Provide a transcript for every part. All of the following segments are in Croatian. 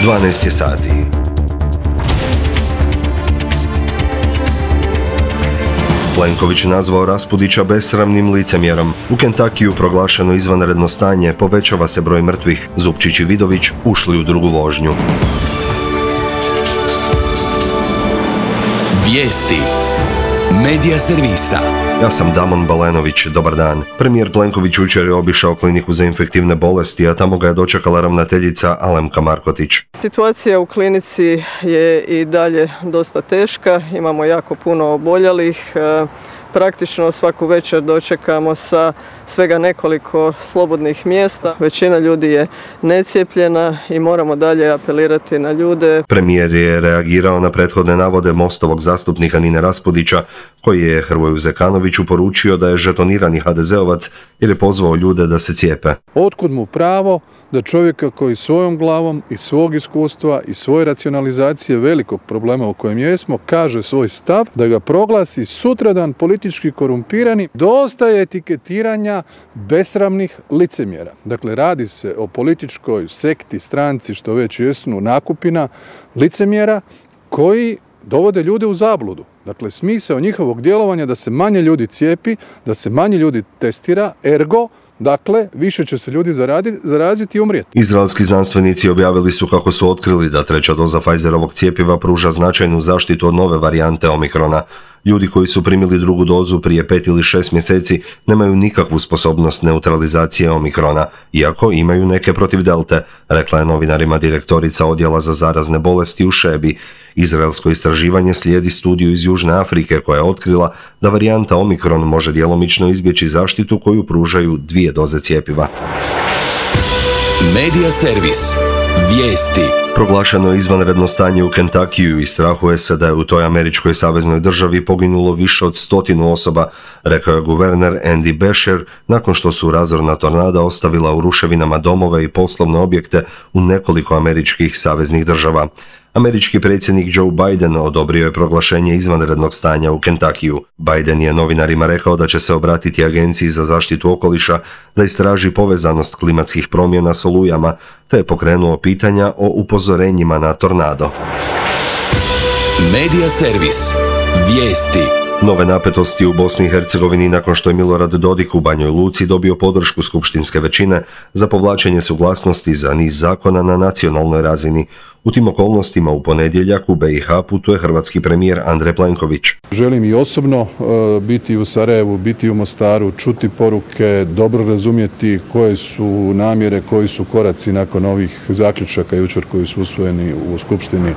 12 je sati. Plenković nazvao Raspudića besramnim licemjerom. U Kentakiju proglašeno izvanredno stanje, povećava se broj mrtvih. Zupčić i Vidović ušli u drugu vožnju. Vijesti Medija servisa. Ja sam Damon Balenović, dobar dan. Premijer Plenković jučer je obišao kliniku za infektivne bolesti, a tamo ga je dočekala ravnateljica Alemka Markotić. Situacija u klinici je i dalje dosta teška, imamo jako puno oboljelih. Praktično svaku večer dočekamo sa svega nekoliko slobodnih mjesta. Većina ljudi je necijepljena i moramo dalje apelirati na ljude. Premijer je reagirao na prethodne navode Mostovog zastupnika Nine Raspudića, koji je Hrvoju Zekanoviću poručio da je žetonirani HDZ-ovac jer je pozvao ljude da se cijepe. Otkud mu pravo da čovjeka koji svojom glavom i svog iskustva i svoje racionalizacije velikog problema u kojem jesmo kaže svoj stav, da ga proglasi sutradan politički korumpirani? Dosta je etiketiranja besramnih licemjera. Dakle, radi se o političkoj sekti, stranci, što već jesu, nakupina licemjera koji dovode ljude u zabludu. Dakle, smisao njihovog djelovanja da se manje ljudi cijepi, da se manje ljudi testira, ergo, dakle, više će se ljudi zaraziti i umrijeti. Izraelski znanstvenici objavili su kako su otkrili da treća doza Pfizerovog cjepiva pruža značajnu zaštitu od nove varijante Omikrona. Ljudi koji su primili drugu dozu prije 5 ili 6 mjeseci nemaju nikakvu sposobnost neutralizacije Omikrona, iako imaju neke protiv Delte, rekla je novinarima direktorica Odjela za zarazne bolesti u Šebi. Izraelsko istraživanje slijedi studiju iz Južne Afrike koja je otkrila da varijanta Omikron može djelomično izbjeći zaštitu koju pružaju 2 doze cjepiva. Medija servis. Vijesti. Proglašeno je izvanredno stanje u Kentakiju i strahuje se da je u toj američkoj saveznoj državi poginulo više od 100 osoba, rekao je guverner Andy Beshear nakon što su razorna tornada ostavila u ruševinama domove i poslovne objekte u nekoliko američkih saveznih država. Američki predsjednik Joe Biden odobrio je proglašenje izvanrednog stanja u Kentakiju. Biden je novinarima rekao da će se obratiti Agenciji za zaštitu okoliša da istraži povezanost klimatskih promjena s olujama, te je pokrenuo pitanja o upozorenjima na tornado. Medija servis. Vijesti. Nove napetosti u Bosni i Hercegovini nakon što je Milorad Dodik u Banjoj Luci dobio podršku skupštinske većine za povlačenje suglasnosti za niz zakona na nacionalnoj razini. U tim okolnostima u ponedjeljak u BiH putuje hrvatski premijer Andrej Plenković. Želim i osobno biti u Sarajevu, biti u Mostaru, čuti poruke, dobro razumjeti koje su namjere, koji su koraci nakon ovih zaključaka jučer koji su usvojeni u Skupštini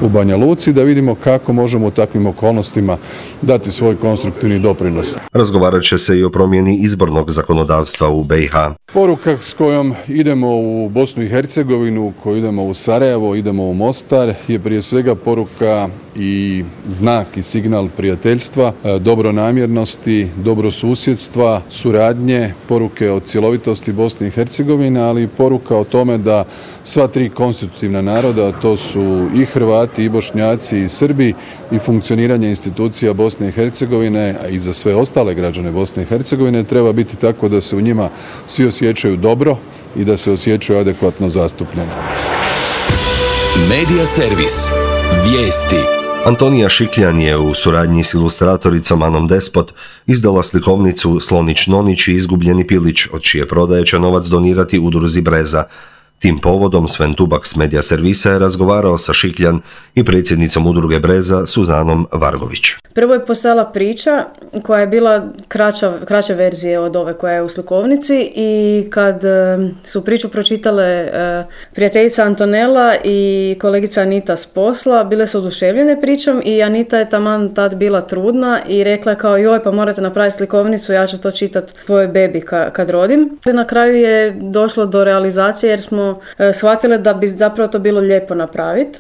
u Banja Luci, da vidimo kako možemo u takvim okolnostima dati svoj konstruktivni doprinos. Razgovarat će se i o promjeni izbornog zakonodavstva u BiH. Poruka s kojom idemo u Bosnu i Hercegovinu, koju idemo u Sarajevo, idemo u Mostar, je prije svega poruka i znak i signal prijateljstva, dobronamjernosti, dobrosusjedstva, suradnje, poruke o cjelovitosti Bosne i Hercegovine, ali i poruka o tome da sva 3 konstitutivna naroda, to su i Hrvati, i Bošnjaci, i Srbi, i funkcioniranje institucija Bosne i Hercegovine, a i za sve ostale građane Bosne i Hercegovine, treba biti tako da se u njima svi osjećaju dobro i da se osjećaju adekvatno zastupljeni. Medija servis. Vijesti. Antonija Šikljan je u suradnji s ilustratoricom Anom Despot izdala slikovnicu Slonić Nonić i izgubljeni pilić, od čije prodaje će novac donirati udruzi Breza. Tim povodom Sven Tubak s Medija servisa je razgovarao sa Šikljan i predsjednicom udruge Breza Suzanom Vargović. Prvo je postojala priča koja je bila kraća verzija od ove koja je u slikovnici i kad su priču pročitale prijateljica Antonela i kolegica Anita s posla, bile su oduševljene pričom i Anita je taman tad bila trudna i rekla je kao joj pa morate napraviti slikovnicu, ja ću to čitati svojoj bebi kad rodim. Na kraju je došlo do realizacije jer smo shvatile da bi zapravo to bilo lijepo napraviti.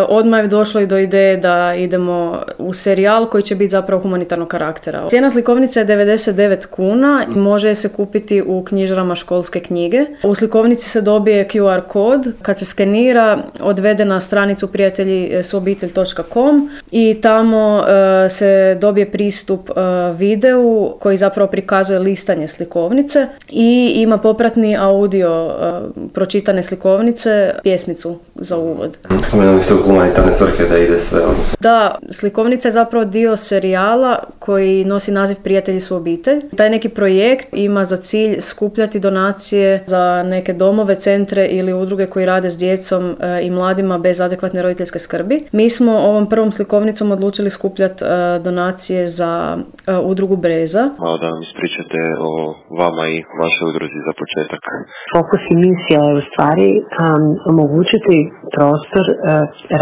Odmah je došlo i do ideje da idemo u serijal koji će biti zapravo humanitarnog karaktera. Cijena slikovnice je 99 kuna i može se kupiti u knjižarama školske knjige. U slikovnici se dobije QR kod, kad se skenira odvede na stranicu prijateljisuobitelj.com i tamo se dobije pristup videu koji zapravo prikazuje listanje slikovnice i ima popratni audio pročitanje pročitane slikovnice, pjesmicu za uvod. Spomenuli ste u humanitarne svrhe da ide sve, odnosno. Da, slikovnica je zapravo dio serijala koji nosi naziv Prijatelji su obitelj. Taj neki projekt ima za cilj skupljati donacije za neke domove, centre ili udruge koji rade s djecom i mladima bez adekvatne roditeljske skrbi. Mi smo ovom prvom slikovnicom odlučili skupljati donacije za udrugu Breza. Malo da nam ispričate o vama i vašoj udruzi za početak. Fokus i misija je u stvari omogućiti prostor,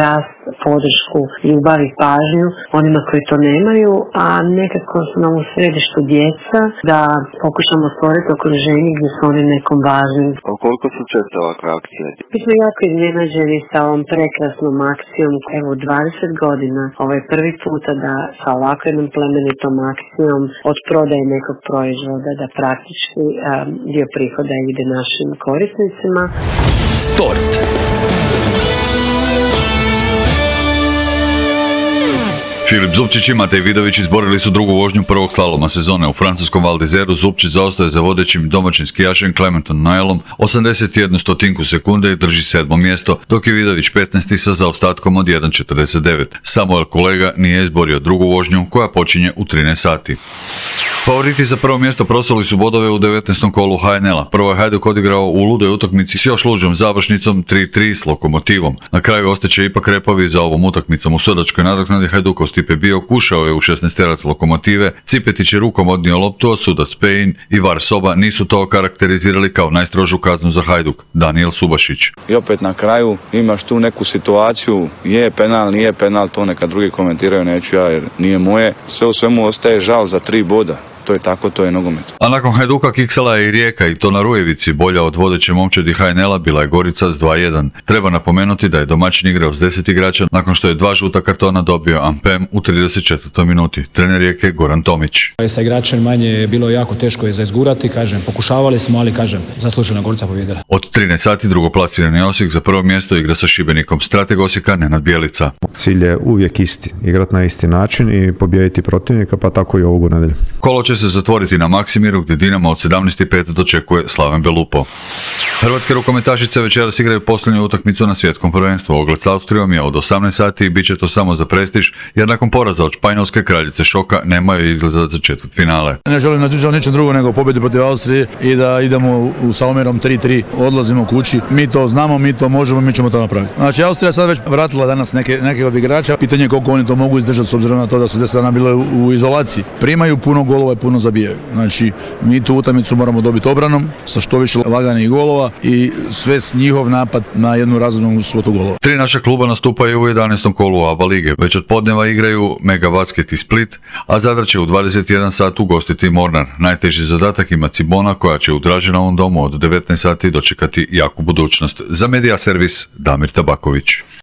rast, podršku, ljubav i pažnju onima koji to nemaju, a nekako su nam u središtu djeca da pokušamo stvoriti okruženje gdje su oni nekom važnim. Koliko su često ovakve akcije? Mi smo jako iznenađeni sa ovom prekrasnom akcijom. Evo, 20 godina, ovo je prvi puta da sa ovakvom jednom plemenitom akcijom od prodaje nekog proizvoda da praktički dio prihoda ide našim korisnicima. Sport. Filip Zupčić i Matej Vidović izborili su drugu vožnju prvog slaloma sezone u francuskom Val d'Izeru. Zupčić zaostaje za vodećim domaćim skijašem Clementom Noelom 81 sekunde i drži 7. mjesto, dok je Vidović 15. sa zaostatkom od 1.49. Samuel Kolega nije izborio drugu vožnju koja počinje u 13 sati. Favoriti za prvo mjesto prosuli su bodove u 19. kolu HNL-a. Prvo je Hajduk odigrao u ludoj utakmici s još luđom završnicom 3-3 s Lokomotivom. Na kraju ostaće ipak repovi za ovom utakmicom. U sudačkoj nadoknadi Hajdukov Stipe Biok ušao je u 16-terac Lokomotive, Cipetić je rukom odnio loptu, a sudac Pejin i VAR Soba nisu to karakterizirali kao najstrožu kaznu za Hajduk. Daniel Subašić. I opet na kraju imaš tu neku situaciju, je penal, nije penal, to neka drugi komentiraju, neću ja jer nije moje. Sve u svemu ostaje žal za 3 boda. To je tako, to je nogomet. A nakon Hajduka kiksala je i Rijeka i to na Rujevici. Bolja od vodeće momčadi HNL-a bila je Gorica s 2-1. Treba napomenuti da je domaćin igrao s 10 igrača nakon što je 2 žuta kartona dobio Ampem u 34. minuti. Trener Rijeke Goran Tomić. Sa igračem manje je bilo jako teško je za izgurati, pokušavali smo, ali zaslužena Gorica pobjedila. Od 13 sati drugoplasirani Osijek za prvo mjesto igra sa Šibenikom. Strateg Osijeka Nenad Bjelica. Cilj je uvijek isti, igrati na isti način i pobijediti protivnika, pa tako i ovogu nedjelju. Kolo će se zatvoriti na Maksimiru gdje Dinamo od 17.05 dočekuje Slaven Belupo. Hrvatske rukometašice večeras igraju posljednju utakmicu na svjetskom prvenstvu. Ogled s Austrijom je od 18 sati i bit će to samo za prestiž, jer nakon poraza od Španjolske kraljice šoka nemaju izgleda za četvrtfinale. Ne želim natjecati ničem drugo nego pobjedu protiv Austrije i da idemo sa omjerom 3-3, odlazimo kući. Mi to znamo, mi to možemo, mi ćemo to napraviti. Znači Austrija sad već vratila danas neke od igrača. Pitanje je koliko oni to mogu izdržati s obzirom na to da su 10 dana bile u izolaciji. Primaju puno golova i puno zabijaju. Znači mi tu utakmicu moramo dobiti obranom sa što više laganih golova i sve njihov napad na jednu razumnu svotu golova. 3 naša kluba nastupaju u 11. kolu ABA lige. Već od podneva igraju Mega Basket i Split, a Zadar će u 21 sat ugostiti Mornar. Najteži zadatak ima Cibona koja će u Draženovom domu od 19 sati dočekati jaku budućnost. Za Medija servis Damir Tabaković.